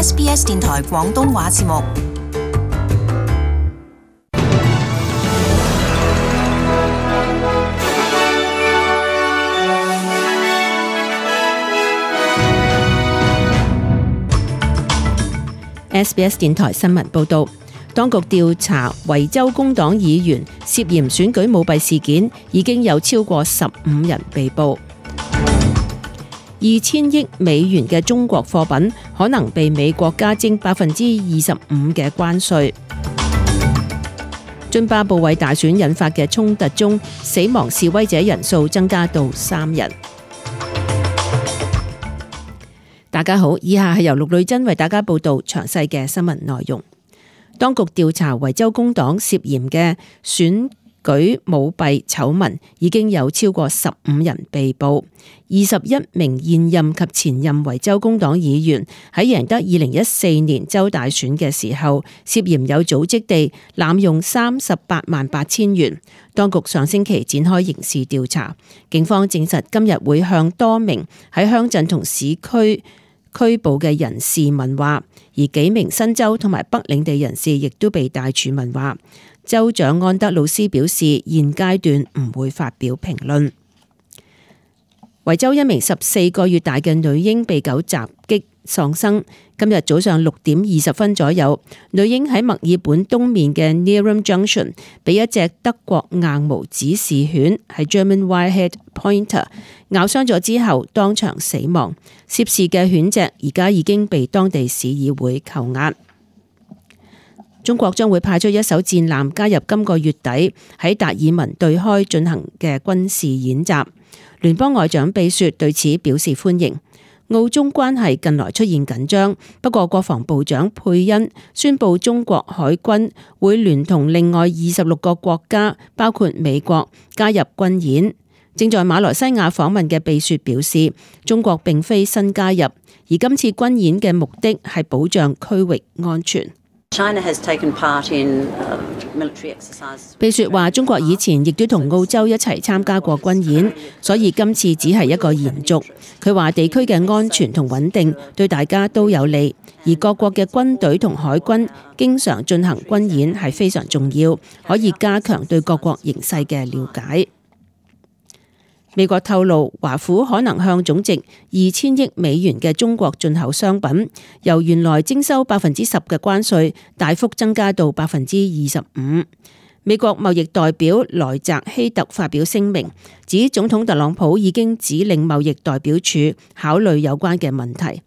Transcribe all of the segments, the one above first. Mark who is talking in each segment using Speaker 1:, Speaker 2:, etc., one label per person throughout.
Speaker 1: SBS 電台廣東話節目。
Speaker 2: SBS 電台新聞報道，當局調查維州工黨議員涉嫌選舉舞弊事件，已經有超過15人被捕。2000億美元嘅中國貨品可能被美國加徵25%嘅關稅。津巴布韋大選引發嘅衝突中，死亡示威者人數增加到3人。大家好，以下係由陸女珍為大家報道詳細嘅新聞內容。當局調查維州工黨涉嫌嘅選舉舞弊醜聞，已經有超過15人被捕。21名現任及前任維州工黨議員喺贏得2014年州大選嘅時候，涉嫌有組織地濫用388000元。當局上星期展開刑事調查，警方證實今日會向多名喺鄉鎮同市區拘捕嘅人士問話，而幾名新州同埋北領地人士亦都被帶住問話。州長安德魯斯表示，現階段唔會發表評論。維州一名14個月大嘅女嬰被狗襲擊喪生。今日早上6點20分左右，女嬰喺墨爾本東面嘅 Neerim Junction 被一隻德國硬毛指示犬係 German Wirehead Pointer 咬傷咗之後當場死亡。涉事嘅犬隻而家已經被當地市議會扣押。中國將會派出一艘戰艦加入今個月底喺達爾文對開進行嘅軍事演習。聯邦外長貝雪對此表示歡迎。澳中關係近來出現緊張，不過國防部長佩恩宣布中國海軍會聯同另外26個國家，包括美國加入軍演。正在馬來西亞訪問嘅貝雪表示，中國並非新加入，而今次軍演嘅目的係保障區域安全。貝雪話：中國以前亦都同澳洲一齊參加過軍演，所以今次只係一個延續。佢話地區嘅安全同穩定對大家都有利，而各國嘅軍隊同海軍經常進行軍演係非常重要，可以加強對各國形勢嘅了解。美國透露，華府可能向總值2000億美元嘅中國進口商品，由原來徵收10%嘅關稅，大幅增加到25%。美國貿易代表萊澤希特發表聲明，指總統特朗普已經指令貿易代表處考慮有關嘅問題。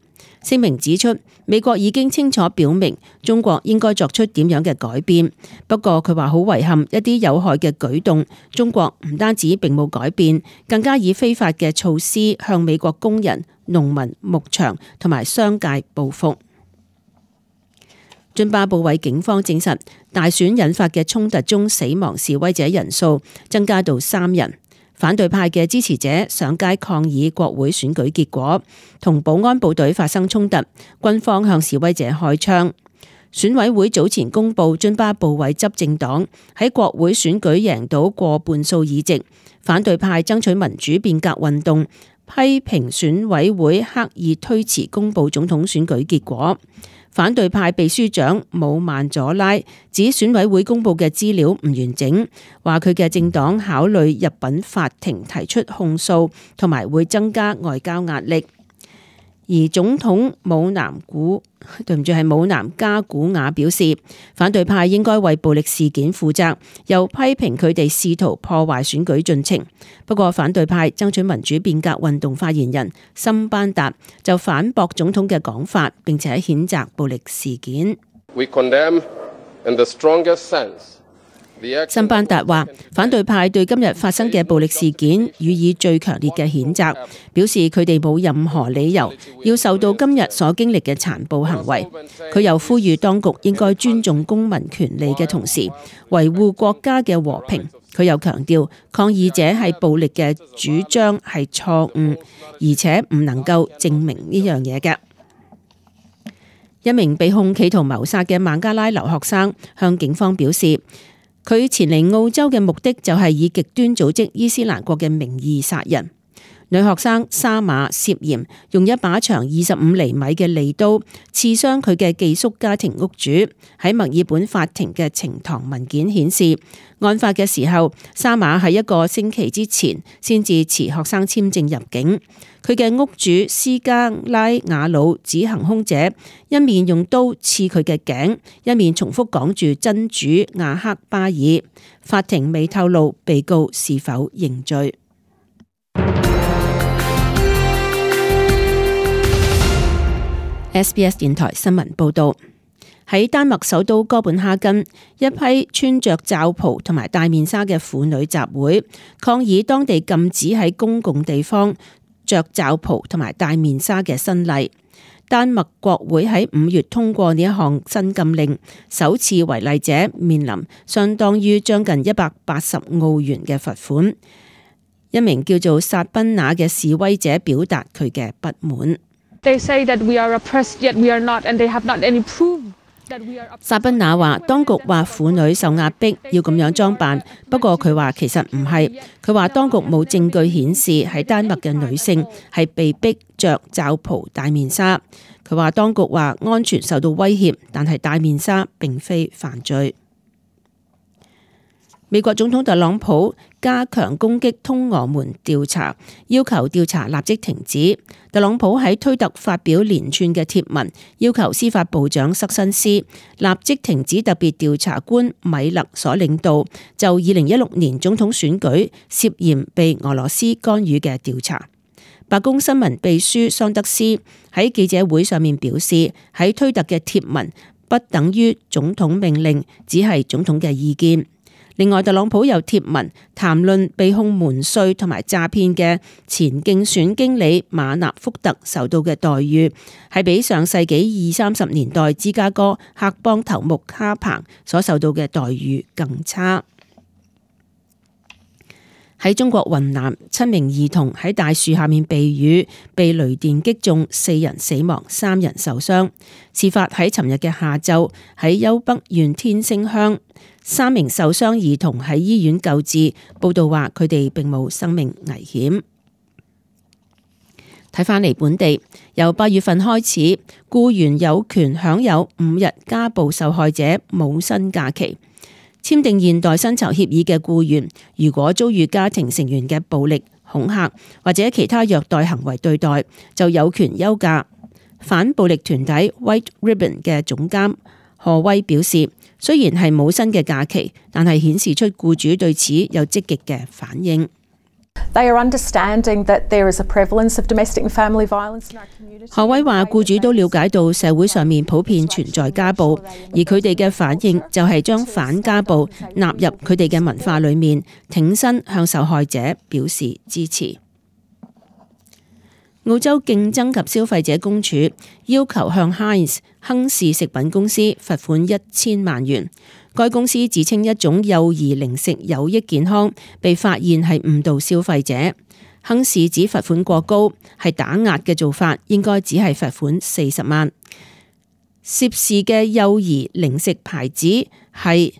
Speaker 2: 聲明指出，美國已經清楚表明中國應該作出點樣嘅改變。不過佢話好遺憾，一啲有害嘅舉動，中國唔單止並冇改變，更加以非法嘅措施向美國工人、農民、牧場同埋商界報復。津巴布韋警方證實，大選引發嘅衝突中死亡示威者人數增加到3人。反對派嘅支持者上街抗議國會選舉結果，同保安部隊發生衝突，軍方向示威者開槍。選委會早前公布津巴布韋執政黨喺國會選舉贏到過半數議席，反對派爭取民主變革運動批評選委會刻意推遲公布總統選舉結果。反對派秘書長姆曼佐拉指選委會公布嘅資料唔完整，話佢嘅政黨考慮入稟法庭提出控訴，同埋會增加外交壓力。而總統姆南加古瓦表示，反對派應該為暴力事件負責，又批評佢哋試圖破壞選舉進程。不過反對派爭取民主變革運動發言人森班達就反駁總統嘅講法，並且譴責暴力事件。森班達話，反對派對今日發生嘅暴力事件予以最強烈嘅譴責，表示佢哋冇任何理由要受到今日所經歷嘅殘暴行為。佢又呼籲當局應該尊重公民權利嘅同時，維護國家嘅和平。佢又強調，抗議者係暴力嘅主張係錯誤，而且唔能夠證明呢樣嘢嘅。一名被控企圖謀殺嘅孟加拉留學生向警方表示，佢前嚟澳洲嘅目的就係以極端組織伊斯蘭國嘅名義殺人。女學生沙馬涉嫌用一把長25厘米嘅利刀刺傷佢嘅寄宿家庭屋主。喺墨爾本法庭嘅呈堂文件顯示，案發嘅時候，沙馬喺一個星期之前先至持學生簽證入境。佢嘅屋主斯加拉瓦魯指行兇者一面用刀刺佢嘅頸，一面重複講住真主亞克巴爾。法庭未透露被告是否認罪。SBS 電台新聞報道，喺丹麥首都哥本哈根，一批穿着罩袍同埋戴面紗嘅婦女集會，抗議當地禁止喺公共地方着罩袍同埋戴面紗嘅新例。丹麥國會喺5月通過呢一項新禁令，首次違例者面臨相當於將近180澳元嘅罰款。一名叫做薩賓娜嘅示威者表達佢嘅不滿。
Speaker 3: They say that we are oppressed, yet we are not, and they have not any proof that we are oppressed.
Speaker 2: 薩賓娜話，當局話婦女受壓迫要咁樣裝扮，不過佢話其實唔係。佢話當局冇證據顯示喺丹麥嘅女性係被逼着罩袍戴面紗。佢話當局話安全受到威脅，但係戴面紗並非犯罪。美國總統特朗普加強攻擊通俄門調查，要求調查立即停止。特朗普喺推特發表連串嘅貼文，要求司法部長塞申斯立即停止特別調查官米勒所領導就2016年總統選舉涉嫌被俄羅斯干預嘅調查。白宮新聞秘書桑德斯喺記者會上面表示，喺推特嘅貼文不等於總統命令，只係總統嘅意見。另外，特朗普有貼文談論被控瞞稅同埋詐騙嘅前競選經理馬納福特受到嘅待遇，係比上世紀20-30年代芝加哥黑幫頭目卡彭所受到嘅待遇更差。喺中國雲南，7名兒童喺大樹下面避雨，被雷電擊中，4人死亡，3人受傷。事發喺尋日嘅下晝，喺丘北縣天星鄉，3名受傷兒童喺醫院救治，報道話佢哋並冇生命危險。睇返嚟本地，由8月份開始，僱員有權享有5日家暴受害者冇薪假期。簽訂現代薪酬協議嘅僱員，如果遭遇家庭成員嘅暴力、恐嚇或者其他虐待行為對待，就有權休假。反暴力團體 White Ribbon 嘅總監何威表示，雖然係冇薪嘅假期，但係顯示出僱主對此有積極嘅反應。
Speaker 4: They are understanding that there is a prevalence of domestic and family violence in our community.
Speaker 2: 何威話：僱主都了解到社會上面普遍存在家暴，而佢哋嘅反應就係將反家暴納入佢哋嘅文化裏面，挺身向受害者表示支持。澳洲競爭及消費者公署要求向 Heinz 亨氏食品公司罰款1000萬元。該公司自稱一種幼兒零食有益健康，被發現係誤導消費者。亨氏指罰款過高，係打壓嘅做法，應該只係罰款40萬。涉事嘅幼兒零食牌子係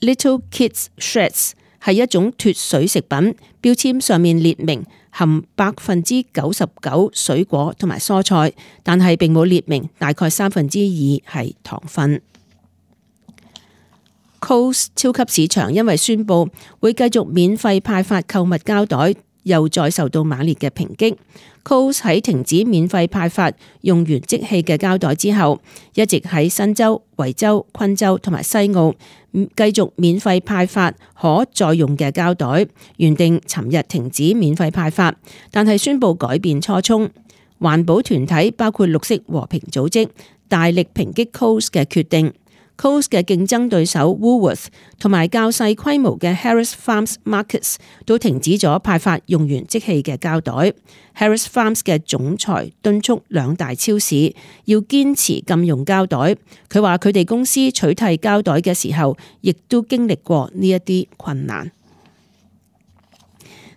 Speaker 2: Little Kids Shreds， 係一種脫水食品，標籤上面列明含99%水果同埋蔬菜，但係並冇列明大概2%係糖分。Coles 超級市場因為宣布會繼續免費派發購物膠袋，又再受到猛烈嘅抨擊。Coles 喺停止免費派發用完即棄嘅膠袋之後，一直喺新州、維州、昆州同埋西澳繼續免費派發可再用嘅膠袋。原定尋日停止免費派發，但係宣布改變初衷。環保團體包括綠色和平組織大力抨擊 Coles 嘅決定。Coles 嘅競爭對手 Woolworth 同埋較細規模嘅 Harris Farms Markets 都停止咗派發用完即棄嘅膠袋。Harris Farms 嘅總裁敦促兩大超市要堅持禁用膠袋。佢話佢哋公司取締膠袋嘅時候，亦都經歷過呢一啲困難。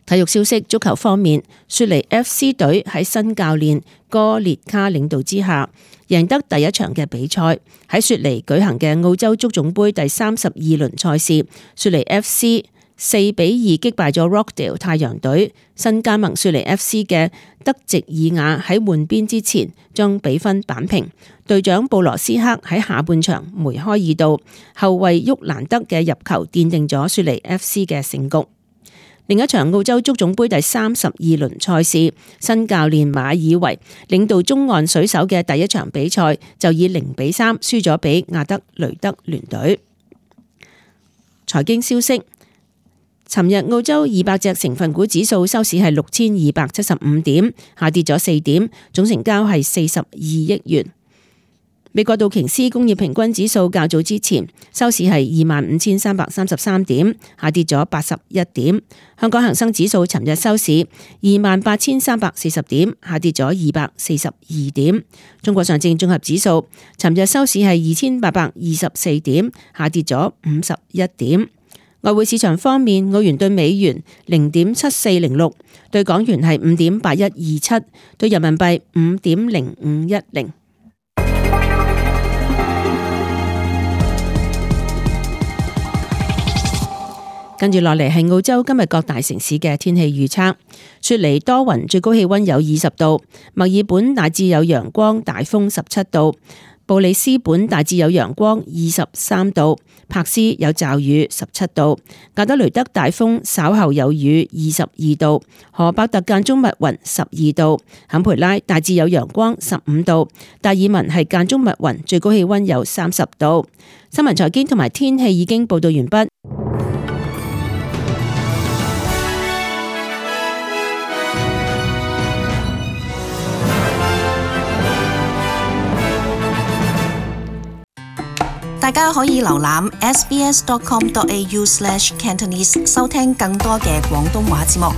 Speaker 2: 體育消息，足球方面，雪梨 FC 隊喺新教練哥列卡領導之下，贏得第一場嘅比賽。喺雪梨舉行嘅澳洲足總盃第32輪賽事，雪梨 FC 4-2擊敗咗 Rockdale 太陽隊。新加盟雪梨 FC 嘅德席爾雅喺換邊之前將比分扳平，隊長布羅斯克喺下半場梅開二度，後衛沃蘭德嘅入球奠定咗雪梨 FC 嘅勝局。另一場澳洲足總杯第32輪賽事，新教練馬爾維領導中岸水手嘅第一場比賽就以0-3輸咗俾亞德雷德聯隊。財經消息，尋日澳洲200隻成分股指數收市係6275點，下跌咗4點，總成交係42億元。美國道瓊斯工業平均指數較早之前收市係25,333點，下跌咗81點。香港恒生指數尋日收市28,340點，下跌咗242點。中國上證綜合指數尋日收市係2,824點，下跌咗51點。外匯市場方面，澳元對美元0.7406，對港元係5.8127，對人民幣5.0510。跟住落嚟係澳洲今日各大城市嘅天氣預測。雪梨多雲，最高氣溫有20度；墨爾本大致有陽光，大風17度；布里斯本大致有陽光23度；柏斯有驟雨17度；格德雷德大風稍後有雨22度；荷伯特間中密雲12度；坎培拉大致有陽光15度；達爾文係間中密雲，最高氣溫有30度。新聞財經同埋天氣已經報道完畢。
Speaker 1: 大家可以瀏覽 sbs.com.au/cantonese 收聽更多嘅廣東話節目。